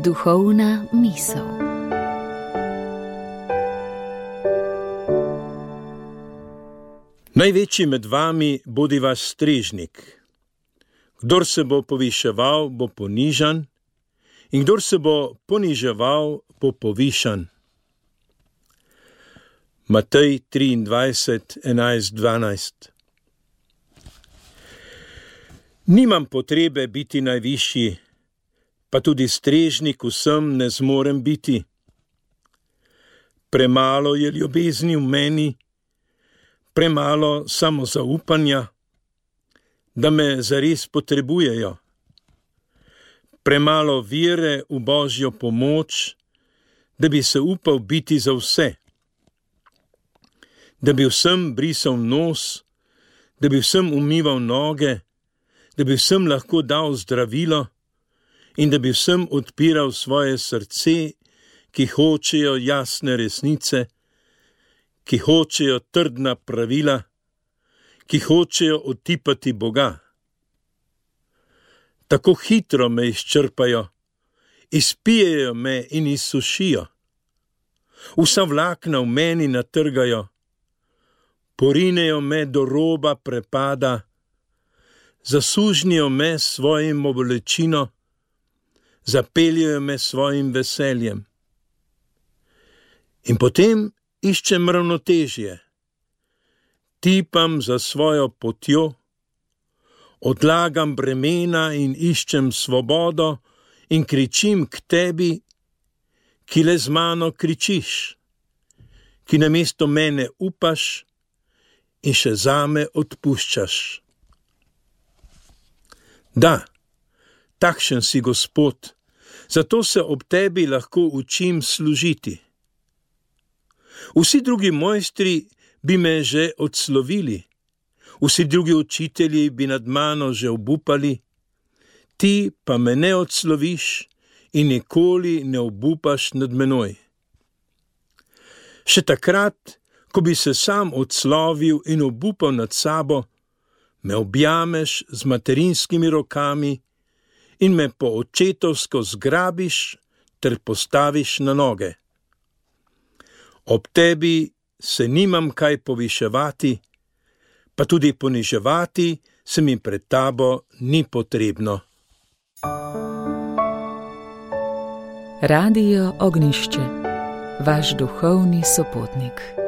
Duhovna misel. Največji med vami bodi vaš strežnik. Kdor se bo poviševal, bo ponižan, in kdor se bo poniževal, bo povišan. Matej 23, 11, 12. Nimam potrebe biti najvišji, pa tudi strežnik vsem ne zmorem biti. Premalo je ljubezni v meni, premalo samozaupanja, da me zares potrebujejo. Premalo vere v Božjo pomoč, da bi se upal biti za vse. Da bi vsem brisal nos, da bi vsem umival noge, da bi vsem lahko dal zdravilo in da bi vsem odpiral svoje srce, ki hočejo jasne resnice, ki hočejo trdna pravila, ki hočejo otipati Boga. Tako hitro me izčrpajo, izpijejo me in izsušijo. Vsa vlakna v meni natrgajo, porinejo me do roba prepada, zasužnijo me s svojim bolečino, zapeljejo me s svojim veseljem. In potem iščem ravnotežje, tipam za svojo potjo, odlagam bremena in iščem svobodo in kričim k tebi, ki le z mano kričiš, ki namesto mene upaš in še zame odpuščaš. Da, takšen si Gospod, zato se ob tebi lahko učim služiti. Vsi drugi mojstri bi me že odslovili, vsi drugi učitelji bi nad mano že obupali, ti pa me ne odsloviš in nikoli ne obupaš nad menoj. Še takrat, ko bi se sam odslovil in obupal nad sabo, me objameš z materinskimi rokami in me po očetovsko zgrabiš ter postaviš na noge. Ob tebi se nimam kaj poviševati, pa tudi poniževati se mi pred tabo ni potrebno. Radio Ognjišče, vaš duhovni sopotnik.